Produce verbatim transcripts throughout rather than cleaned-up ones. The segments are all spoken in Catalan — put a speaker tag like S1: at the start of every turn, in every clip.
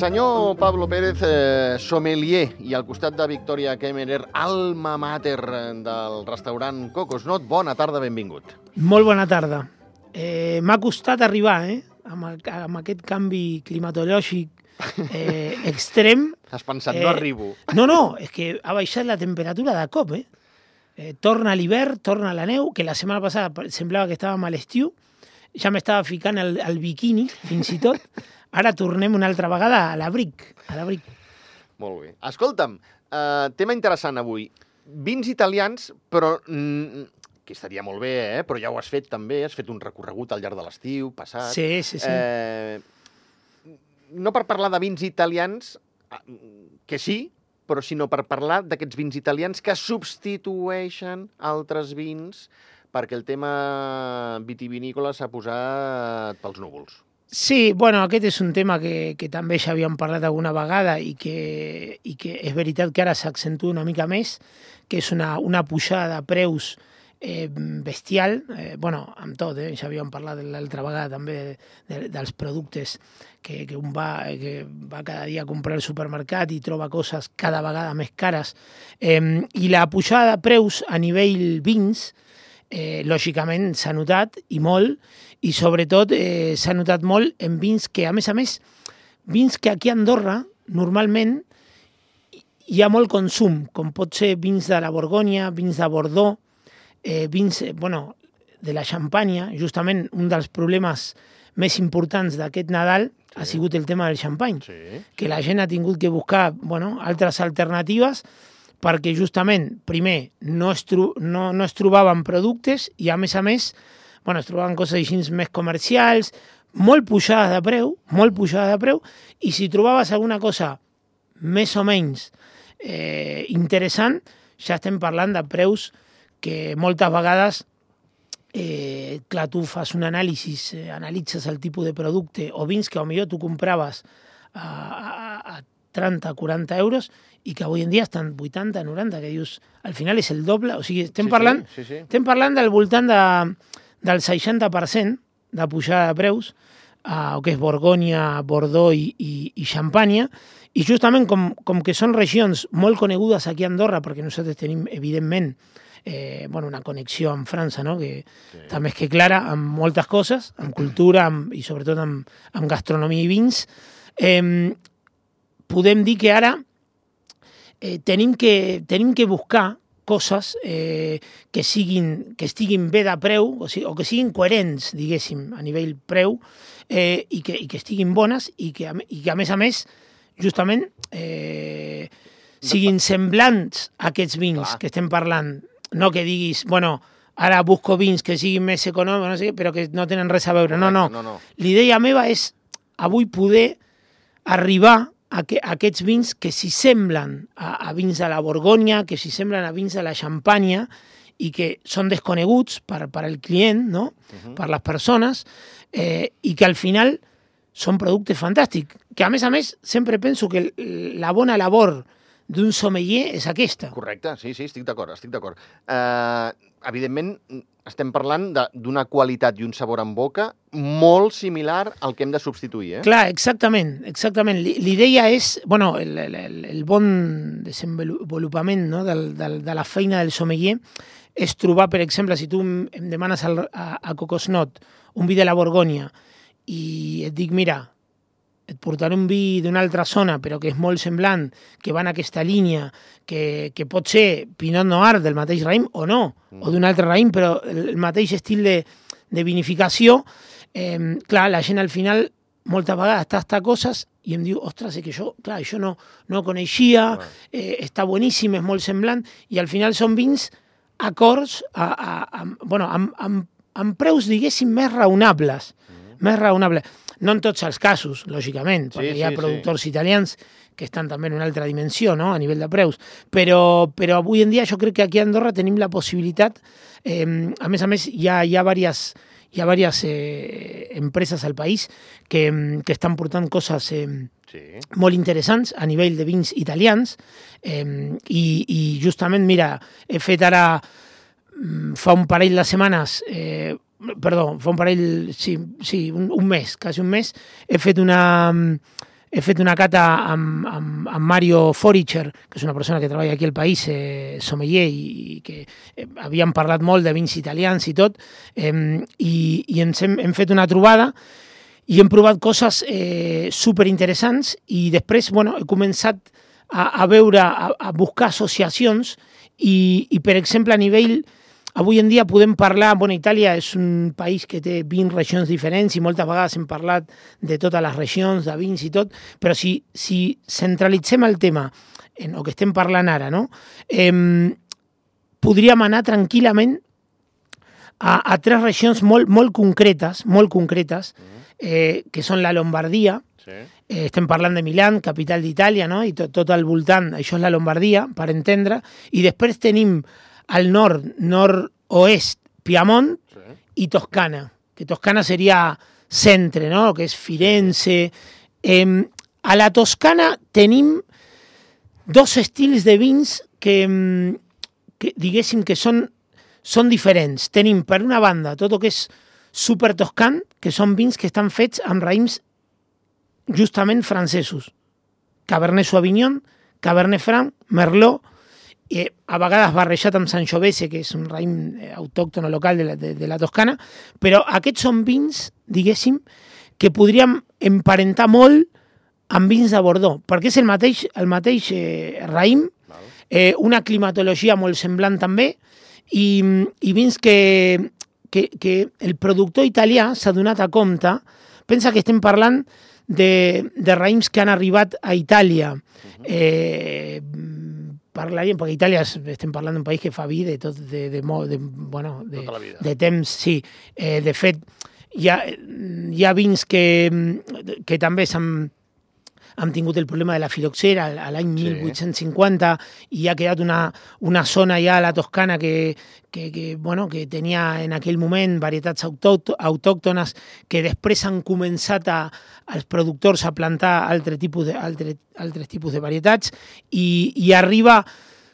S1: Senyor Pablo Pérez, eh, sommelier, i al costat de Victoria Kemmerer, alma mater del restaurant Cocosnot. Bona tarda, benvingut.
S2: Molt bona tarda. Eh, M'ha costat arribar, eh? Amb, el, amb aquest canvi climatològic eh, extrem.
S1: Has pensat, eh, no arribo.
S2: No, no, és que ha baixat la temperatura de cop, eh? eh torna l'hivern, torna la neu, que la setmana passada semblava que estàvem a l'estiu. Ja m'estava ficant el, el biquini, fins i tot. Ara tornem una altra vegada a l'abric. A l'abric.
S1: Molt bé. Escolta'm, eh, tema interessant avui. Vins italians, però... Mm, que estaria molt bé, eh? Però ja ho has fet també, has fet un recorregut al llarg de l'estiu, passat.
S2: Sí, sí, sí.
S1: Eh, no per parlar de vins italians, que sí, però sinó per parlar d'aquests vins italians que substitueixen altres vins perquè el tema vitivinícola s'ha posat pels núvols.
S2: Sí, bueno, aquest és un tema que, que també ja havíem parlat alguna vegada i que, i que és veritat que ara s'accentua una mica més, que és una, una pujada de preus eh, bestial, eh, bueno, amb tot, eh, ja havíem parlat l'altra vegada també de, de, dels productes que, que un va, que va cada dia a comprar al supermercat i troba coses cada vegada més cares. Eh, I la pujada de preus a nivell vins, Eh, lògicament s'ha notat, i molt, i sobretot eh, s'ha notat molt en vins que, a més a més, vins que aquí a Andorra, normalment, hi ha molt consum, com pot ser vins de la Borgonya, vins de Bordeaux, eh, vins, eh, bueno, de la Xampanya. Justament un dels problemes més importants d'aquest Nadal sí. ha sigut el tema del xampany, sí. que la gent ha tingut que buscar, bueno, altres alternatives, perquè justament, primer, no es, tro no, no es trobaven productes i, a més a més, bueno, es trobaven coses així més comercials, molt pujades de preu, molt pujades de preu, i si trobaves alguna cosa més o menys eh, interessant, ja estem parlant de preus que moltes vegades, eh, clar, tu fas un anàlisi, eh, analitzes el tipus de producte o vins que potser tu compraves a, a, a trenta, quaranta euros, i que avui en dia estan vuitanta, noranta, que dius, al final és el doble, o sigui, estem, sí, parlant, sí, sí, sí. estem parlant del voltant de, del seixanta per cent de pujada de preus, a el que és Borgonya, Bordeaux i, i, i Xampanya, i justament com, com que són regions molt conegudes aquí a Andorra, perquè nosaltres tenim, evidentment, eh, bueno, una connexió amb França, no? que sí. també és que clara, amb moltes coses, amb cultura amb, i sobretot amb, amb gastronomia i vins, eh, podem dir que ara Eh, tenim, que, tenim que buscar coses eh, que, siguin, que estiguin bé de preu, o, sigui, o que siguin coherents, diguéssim, a nivell preu, eh, i, que, i que estiguin bones i que, i que, a més a més, justament, eh, siguin semblants a aquests vins Clar. que estem parlant. No que diguis, bueno, ara busco vins que siguin més econòmics, no sé què, però que no tenen res a veure. No, no. no, no. L'idea meva és avui poder arribar a que, a aquests vins que s'hi semblen a, a vins de la Borgonya, que s'hi semblen a vins de la Xampanya i que són desconeguts per, per al client, no? uh-huh. per les persones, eh, i que al final són productes fantàstics. Que a més a més sempre penso que la bona labor d'un sommelier és aquesta.
S1: Correcte, sí, sí, estic d'acord, estic d'acord. Uh, evidentment, estem parlant d'una qualitat i un sabor en boca molt similar al que hem de substituir, eh?
S2: Clar, exactament, exactament. L'idea és, bueno, el, el, el bon desenvolupament, no? del, del, de la feina del sommelier és trobar, per exemple, si tu em demanes al, a, a Cocosnot un vi de la Borgonya i et dic, mira, et portaré un vi d'una altra zona, però que és molt semblant, que va en aquesta línia, que, que pot ser Pinot Noir del mateix raïm o no, mm. o d'un altre raïm, però el mateix estil de, de vinificació, eh, clar, la gent al final moltes vegades tasta coses i em diu, ostres, és que això, clar, això no, no ho coneixia, eh, està boníssim, és molt semblant, i al final són vins acords a, a, a, bueno, amb, amb, amb preus, diguéssim, més raonables, mm. més raonables. No en tots els casos, lògicament, perquè sí, hi ha sí, productors sí. italians que estan també en una altra dimensió, no?, a nivell de preus. Però, però avui en dia jo crec que aquí a Andorra tenim la possibilitat, eh, a més a més hi ha, hi ha diverses, hi ha diverses eh, empreses al país que, que estan portant coses eh, sí. molt interessants a nivell de vins italians, eh, i, i justament, mira, he fet ara, fa un parell de setmanes, eh, perdó, fa un parell, sí, sí un, un mes, quasi un mes, he fet una, he fet una cata amb, amb, amb Mario Foricher, que és una persona que treballa aquí al país, eh, sommelier, i, i que eh, havíem parlat molt de vins italians i tot, eh, i, i ens hem, hem fet una trobada i hem provat coses eh, superinteressants, i després bueno, he començat a, a veure, a, a buscar associacions, i, i per exemple a nivell, avui en dia podem parlar, bueno, Itàlia és un país que té vint regions diferents i moltes vegades hem parlat de totes les regions, de vins i tot, però si, si centralitzem el tema en el que estem parlant ara, no? eh, podríem anar tranquil·lament a, a tres regions molt, molt concretes, molt concretes, eh, que són la Lombardia, sí. eh, estem parlant de Milà, capital d'Itàlia, no? I tot, tot al voltant, això és la Lombardia, per entendre, i després tenim al nord, nord-oest, Piemont sí. i Toscana, que Toscana seria centre, no? Que és Firenze. Eh, a la Toscana tenim dos estils de vins que, que diguéssim que són, són diferents. Tenim, per una banda, tot el que és super toscan, que són vins que estan fets amb raïms justament francesos. Cabernet Sauvignon, Cabernet Franc, Merlot, eh, a vegades barrejat amb Sangiovese, que és un raïm autòcton local de la, de, de la Toscana, però aquests són vins, diguéssim, que podríem emparentar molt amb vins de Bordeaux, perquè és el mateix, el mateix eh, raïm, eh, una climatologia molt semblant també, i, i vins que, que, que el productor italià s'ha donat a compte, pensa que estem parlant de, de raïms que han arribat a Itàlia, eh, parlaríem, perquè Itàlia estem parlant d'un país que fa vi de tot, de, de, de, bueno, de, de temps, sí. Eh, de fet, hi ha, hi ha vins que, que també s'han han tingut el problema de la filoxera a l'any sí. mil vuit-cents cinquanta, i ha quedat una, una zona ja a la Toscana que, que, que, bueno, que tenia en aquell moment varietats autòctones que després han començat a, els productors a plantar altre tipus de, altre, altres tipus de varietats, i, i arriba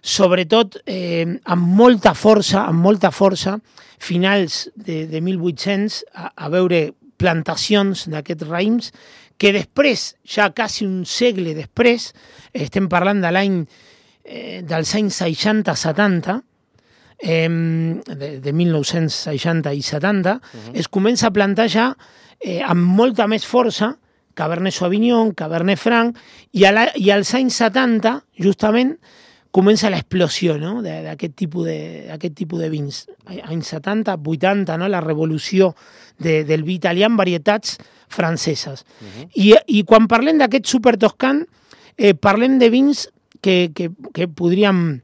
S2: sobretot eh, amb molta força, amb molta força, finals de, de mil vuit-cents, a, a veure plantacions d'aquests raïms, que després, ja quasi un segle després, estem parlant de l'any eh, dels anys seixanta setanta, eh, de, de mil nou-cents seixanta i setanta, uh-huh. es comença a plantar ja eh, amb molta més força Cabernet Sauvignon, Cabernet Franc, i, a la, i als anys setanta, justament, comença l'explosió, no? d'aquest tipus de, d'aquest tipus de vins. Anys setanta, vuitanta, no? La revolució de, del vi italià en varietats franceses. Uh-huh. I, I quan parlem d'aquest super toscan, eh, parlem de vins que, que, que podríem,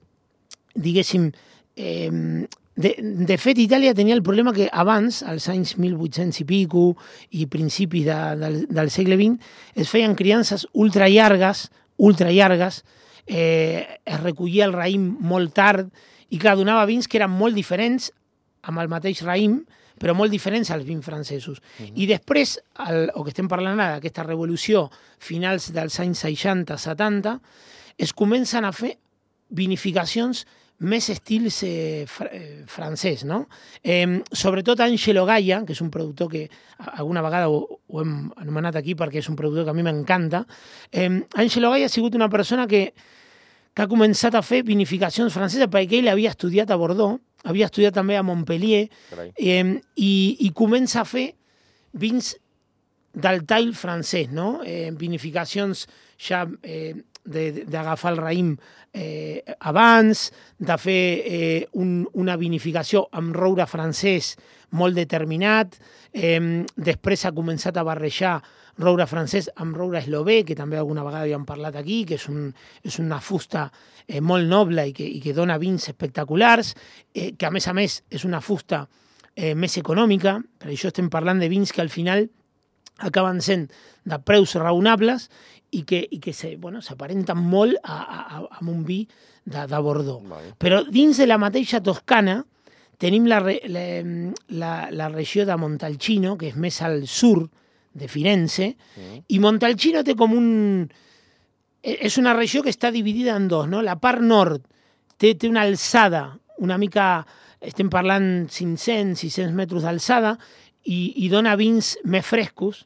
S2: diguéssim, eh, de, de fet, Itàlia tenia el problema que abans, als anys mil vuit-cents i pico i principis de, del, del segle vint, es feien criances ultra llargues, ultra llargues, eh, es recollia el raïm molt tard, i clar, donava vins que eren molt diferents amb el mateix raïm, però molt diferents als vins francesos. Uh-huh. I després, el, el que estem parlant ara, d'aquesta revolució, finals dels anys seixanta setanta, es comencen a fer vinificacions més estils eh, fr eh, francès, no? Eh, sobretot Angelo Gaia, que és un productor que alguna vegada ho, ho hem anomenat aquí perquè és un productor que a mi m'encanta. Eh, Angelo Gaia ha sigut una persona que, que ha començat a fer vinificacions franceses perquè ell havia estudiat a Bordeaux, havia estudiat també a Montpellier, eh, i, i comença a fer vins del tall francès, no? Eh, vinificacions ja eh, d'agafar el raïm eh, abans, de fer eh, un, una vinificació amb roure francès molt determinat, eh, després ha començat a barrejar roure francès amb roure eslové, que també alguna vegada havíem parlat aquí, que és, un, és una fusta eh, molt noble i que, i que dona vins espectaculars, eh, que a més a més és una fusta eh, més econòmica, per això estem parlant de vins que al final acaben sent de preus raonables i que, i que se, bueno, s'aparenten molt a, a, a un vi de, de Bordeaux. Vale. Però dins de la mateixa Toscana tenim la, la, la, la regió de Montalcino, que és més al sud de Firenze, mm. i Montalcino té com un... És una regió que està dividida en dos, no? La part nord té, té una alçada, una mica, estem parlant cinc-cents, sis-cents metres d'alçada, i, i dona vins més frescos.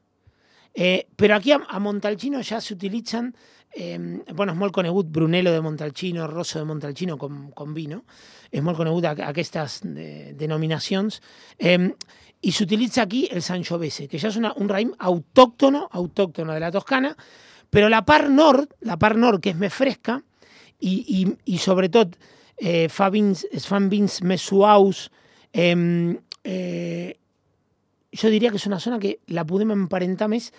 S2: Eh, però aquí a, a Montalcino ja s'utilitzen, eh, bueno, és molt conegut Brunello de Montalcino, Rosso de Montalcino com, com vi, no? És molt conegut a, a aquestes de, denominacions. Eh, I s'utilitza aquí el Sangiovese, que ja és una, un raïm autòctono, autòctono de la Toscana, però la part nord, la part nord que és més fresca, i, i, i sobretot eh, fa vins, es fan vins més suaus, eh, eh, jo diria que és una zona que la podem emparentar més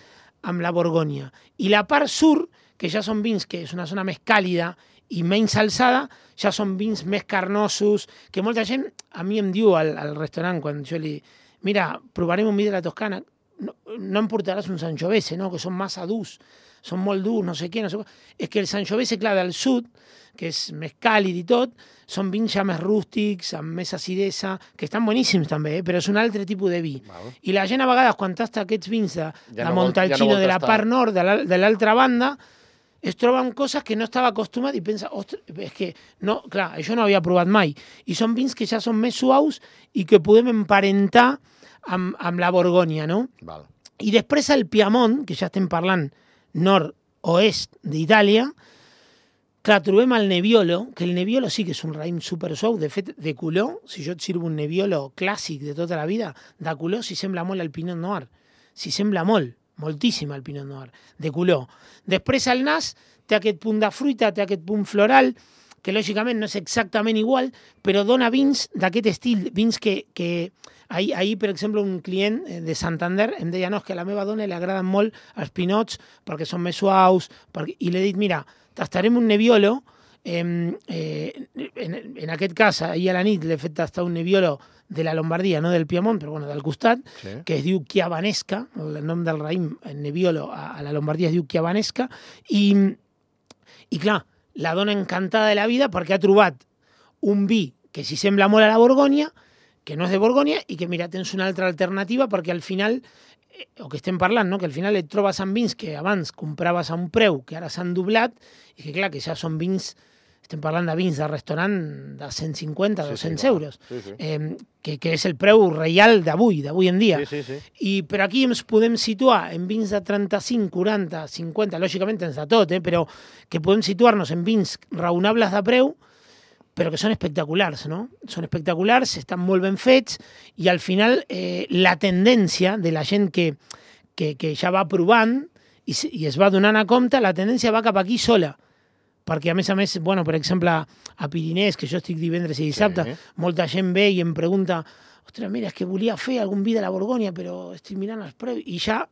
S2: amb la Borgonya. I la part sur, que ja són vins que és una zona més càlida i menys alçada, ja són vins més carnosos, que molta gent a mi em diu al, al restaurant quan jo li... Mira, provarem un vi de la Toscana, no, no em portaràs un Sangiovese, no? Que són massa durs, són molt durs, no sé què, no sé què. És que el Sangiovese, clar, del sud, que és més càlid i tot, són vins ja més rústics, amb més acidesa, que estan boníssims també, eh? Però és un altre tipus de vi. Val. I la gent a vegades, quan tasta aquests vins de, ja de no Montalcino, ja no de la part nord, de l'altra banda, es troben coses que no estava acostumat i pensa, ostres, és que, no, clar, això no havia provat mai. I són vins que ja són més suaus i que podem emparentar amb, amb la Borgonya, no? Val. I després el Piemont, que ja estem parlant nord-oest d'Itàlia, clar, trobem el Nebbiolo, que el Nebbiolo sí que és un raïm super suau. De fet, de color, si jo et sirvo un Nebbiolo clàssic de tota la vida, de color s'hi sembla molt al Pinot Noir. S'hi sembla molt, moltíssim al Pinot Noir, de color. Després el nas té aquest punt de fruita, té aquest punt floral, que lògicament no és exactament igual, però dona vins d'aquest estil, vins que... que ahir, ahir, per exemple, un client de Santander em deia, no, és que a la meva dona li agraden molt els pinots perquè són més suaus, perquè... i li he dit, mira, tastarem un Nebbiolo, eh, eh, en, en aquest cas, ahir a la nit l'he fet tastar un Nebbiolo de la Lombardia, no del Piemont, però bueno, del costat, sí. Que es diu Chiavanesca, el nom del raïm, el Nebbiolo a, a la Lombardia es diu Chiavanesca, i, i clar, la dona encantada de la vida perquè ha trobat un vi que s'hi sembla molt a la Borgonya, que no és de Borgonya, i que, mira, tens una altra alternativa perquè al final, eh, o que estem parlant, no? Que al final et trobes amb vins que abans compraves a un preu que ara s'han doblat, i que, clar, que ja són vins, estem parlant de vins de restaurant de cent cinquanta, sí, dos-cents sí, euros, sí, sí. Eh, que, que és el preu reial d'avui, d'avui en dia. Sí, sí, sí. I per aquí ens podem situar en vins de trenta-cinc, quaranta, cinquanta, lògicament tens de tot, eh, però que podem situar-nos en vins raonables de preu, però que són espectaculars, no? Són espectaculars, estan molt ben fets, i al final eh, la tendència de la gent que, que, que ja va provant i, i es va donant a compte, la tendència va cap aquí sola. Perquè, a més a més, bueno, per exemple, a Pirinès, que jo estic divendres i dissabte, sí. Molta gent ve i em pregunta, ostres, mira, és que volia fer algun vi de la Borgonya, però estic mirant els preus, i ja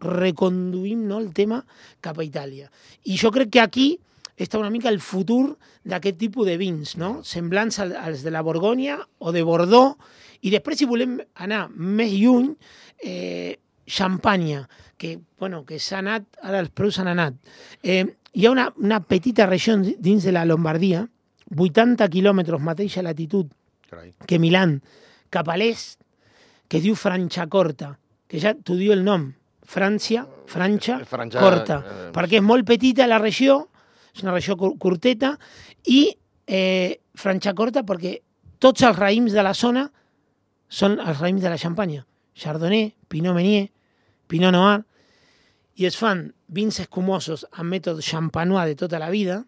S2: reconduïm, no, el tema cap a Itàlia. I jo crec que aquí està una mica el futur d'aquest tipus de vins, no? Semblants als de la Borgonya o de Bordeaux, i després, si volem anar més lluny, eh, Xampanya, que, bueno, que s'ha anat, ara els preus s'han anat. Eh, hi ha una, una petita regió dins de la Lombardia, vuitanta quilòmetres mateixa latitud que Milán, cap a l'est, que es diu Franciacorta, que ja t'ho diu el nom, França, França, Corta, eh, perquè és molt petita la regió, és una regió curteta, i eh, Franciacorta perquè tots els raïms de la zona són els raïms de la Xampanya. Chardonnay, Pinot Meunier, Pinot Noir, i es fan vins escumosos amb mètode champenois de tota la vida,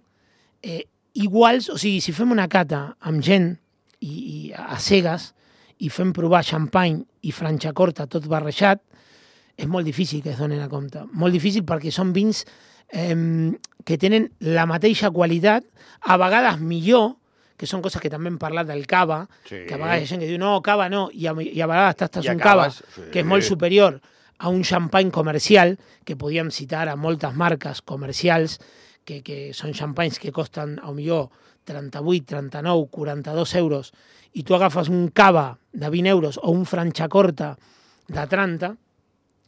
S2: eh, iguals, o sigui, si fem una cata amb gent i, i a cegues i fem provar Champagne i Franciacorta tot barrejat, és molt difícil que es donen a compte. Molt difícil perquè són vins eh, que tenen la mateixa qualitat, a vegades millor, que són coses que també hem parlat del cava, sí. Que a vegades hi ha gent que diu, no, cava no, i a, i a vegades tastes un cava sí. Que és molt superior a un champagne comercial, que podíem citar a moltes marques comercials, que, que són champagnes que costen, a millor, trenta-vuit, trenta-nou, quaranta-dos euros, i tu agafes un cava de vint euros o un Franciacorta de trenta,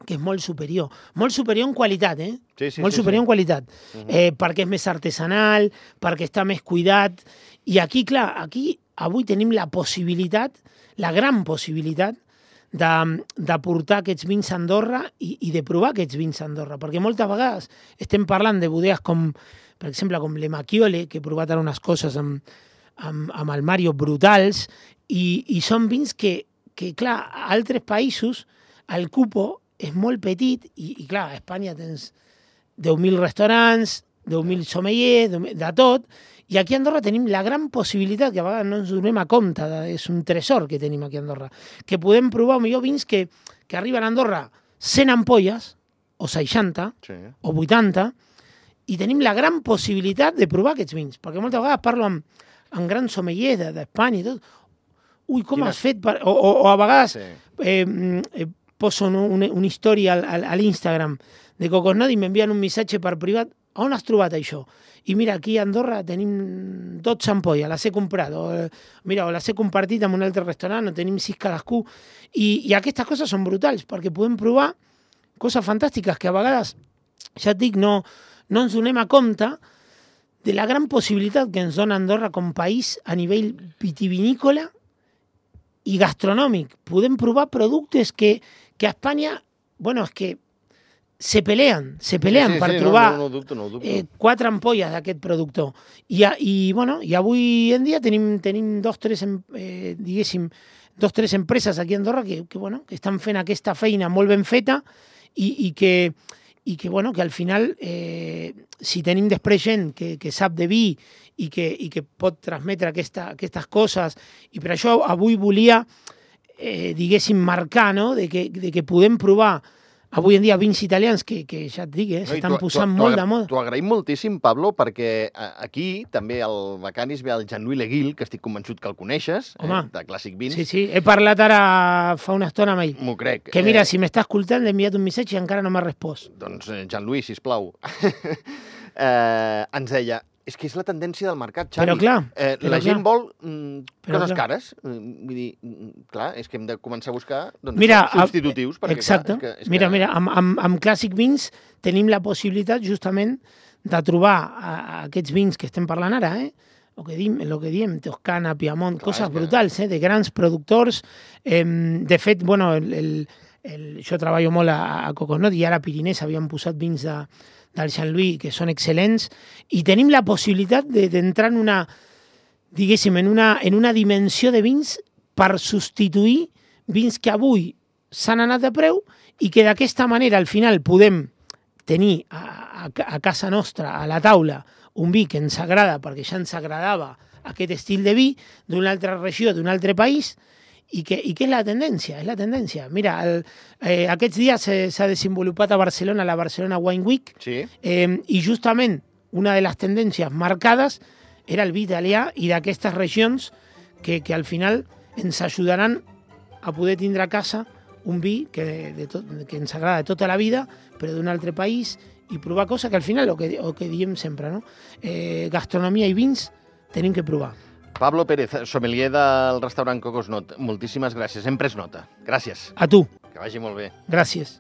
S2: que és molt superior. Molt superior en qualitat, eh? Sí, sí, molt sí, superior sí. En qualitat. Uh-huh. eh, perquè és més artesanal, perquè està més cuidat. I aquí, clar, aquí avui tenim la possibilitat, la gran possibilitat, de, de portar aquests vins a Andorra i, i de provar aquests vins a Andorra. Perquè moltes vegades estem parlant de bodegues com, per exemple, com Le Macchiole, que he provat ara unes coses amb, amb, amb el Mario brutals, i, i són vins que, que, clar, a altres països el cupo és molt petit i, i clar, a Espanya tens deu mil restaurants, deu mil sommeliers, de tot, i aquí a Andorra tenim la gran possibilitat, que a vegades no ens donem a compte, de, és un tresor que tenim aquí a Andorra, que podem provar millor vins que, que arriben a Andorra cent ampolles, o seixanta, sí. o vuitanta, i tenim la gran possibilitat de provar aquests vins, perquè moltes vegades parlo amb, amb grans sommeliers d'Espanya i tot, ui, com Quina... has fet? Per... O, o, o a vegades sí. eh, eh, poso no, una, una història al, al, a l'Instagram de Cocosnat i m'envien un missatge per privat, on has trobat això? I mira, aquí a Andorra tenim dotze ampolles, les he comprat, o, mira, o les he compartit amb un altre restaurant, o tenim sis cadascú, i, i aquestes coses són brutals, perquè podem provar coses fantàstiques que a vegades, ja et dic, no, no ens donem a compte de la gran possibilitat que ens dona Andorra com país a nivell vitivinícola i gastronòmic. Podem provar productes que, que a Espanya, bueno, és que se peleen, se peleen sí, sí, per sí, trobar
S1: no, no, no dubto, no dubto.
S2: Eh, quatre ampolles d'aquest productor. I, i, bueno, i avui en dia tenim, tenim dos, tres, eh, diguéssim, dos, tres empreses aquí a Andorra que, que, bueno, que estan fent aquesta feina molt ben feta i, i que i que, bueno, que al final, eh, si tenim després gent que, que sap de vi i que, i que pot transmetre aquesta, aquestes coses, i per això avui volia, eh, diguéssim, marcar, no?, de que, de que podem provar avui en dia vins italians que, que ja et dic, eh, s'estan no, posant tu, molt de moda.
S1: T'ho agraïm moltíssim, Pablo, perquè aquí també al Bacanis ve el Jean-Louis Leguil, que estic convençut que el coneixes, eh, de Clàssic Vins.
S2: Sí, sí, he parlat ara fa una estona amb ell.
S1: M'ho crec.
S2: Que mira, eh... si m'està escoltant, l'he enviat un missatge i encara no m'ha respost.
S1: Doncs, Jean-Louis, sisplau. eh, ens deia, és que és la tendència del mercat, Xavi.
S2: Però clar.
S1: Eh,
S2: però
S1: la
S2: clar.
S1: gent vol mm, coses clar. cares. Vull dir, clar, és que hem de començar a buscar doncs,
S2: mira,
S1: substitutius. Perquè,
S2: exacte.
S1: Clar, és que, és
S2: mira,
S1: que...
S2: mira, amb, amb, amb Clàssic Vins tenim la possibilitat justament de trobar a, a aquests vins que estem parlant ara, eh? el que diem, el que diem Toscana, Piemont, clar, coses que... brutals, eh? de grans productors. Eh, de fet, bueno, el, el, el, jo treballo molt a, a Cocosnot i ara a Pirinès havíem posat vins de del Jean-Louis, que són excel·lents, i tenim la possibilitat d'entrar en una, diguéssim, en una, en una dimensió de vins per substituir vins que avui s'han anat de preu i que d'aquesta manera al final podem tenir a, a, a casa nostra, a la taula, un vi que ens agrada perquè ja ens agradava aquest estil de vi d'una altra regió, d'un altre país, i que, i que és la tendència, és la tendència. Mira, el, eh, aquests dies s'ha desenvolupat a Barcelona la Barcelona Wine Week,
S1: sí.
S2: eh, i justament una de les tendències marcades era el vi italià i d'aquestes regions que, que al final ens ajudaran a poder tindre a casa un vi que, de tot, que ens agrada de tota la vida, però d'un altre país, i provar coses que al final, el que, el que diem sempre, no? eh, gastronomia i vins tenim que provar.
S1: Pablo Pérez, sommelier del restaurant Cocosnot, moltíssimes gràcies. Hem pres nota. Gràcies.
S2: A tu.
S1: Que vagi molt bé.
S2: Gràcies.